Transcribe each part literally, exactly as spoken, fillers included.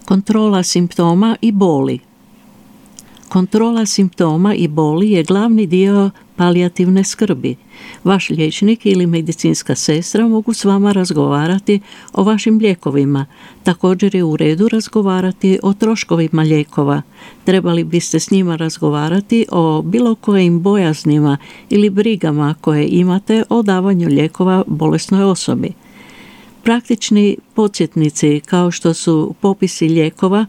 Kontrola simptoma i boli. Kontrola simptoma i boli je glavni dio palijativne skrbi. Vaš liječnik ili medicinska sestra mogu s vama razgovarati o vašim lijekovima. Također je u redu razgovarati o troškovima lijekova. Trebali biste s njima razgovarati o bilo kojim bojaznima ili brigama koje imate o davanju lijekova bolesnoj osobi. Praktični podsjetnici kao što su popisi lijekova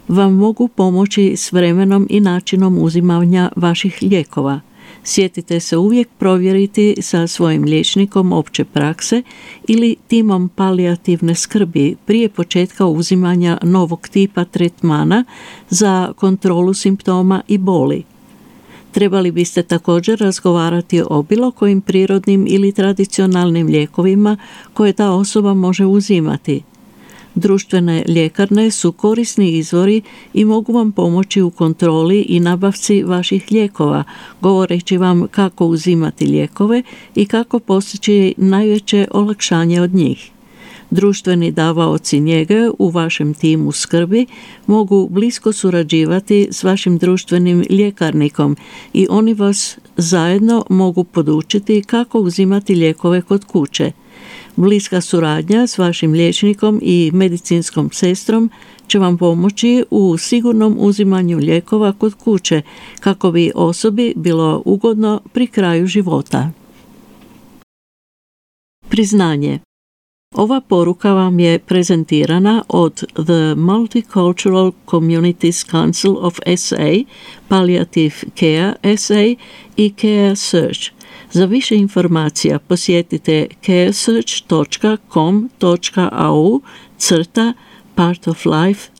vam mogu pomoći s vremenom i načinom uzimanja vaših lijekova. Sjetite se uvijek provjeriti sa svojim liječnikom opće prakse ili timom palijativne skrbi prije početka uzimanja novog tipa tretmana za kontrolu simptoma i boli. Trebali biste također razgovarati o bilo kojim prirodnim ili tradicionalnim lijekovima koje ta osoba može uzimati. Društvene ljekarne su korisni izvori i mogu vam pomoći u kontroli i nabavci vaših lijekova, govoreći vam kako uzimati lijekove i kako postići najveće olakšanje od njih. Društveni davaoci njege u vašem timu skrbi mogu blisko surađivati s vašim društvenim ljekarnikom i oni vas zajedno mogu podučiti kako uzimati lijekove kod kuće. Bliska suradnja s vašim liječnikom i medicinskom sestrom će vam pomoći u sigurnom uzimanju lijekova kod kuće kako bi osobi bilo ugodno pri kraju života. Priznanje. Ova poruka vam je prezentirana od The Multicultural Communities Council of S A, Palliative Care S A i Care Search. Za više informacija posjetite caresearch dot com dot a u crta part of life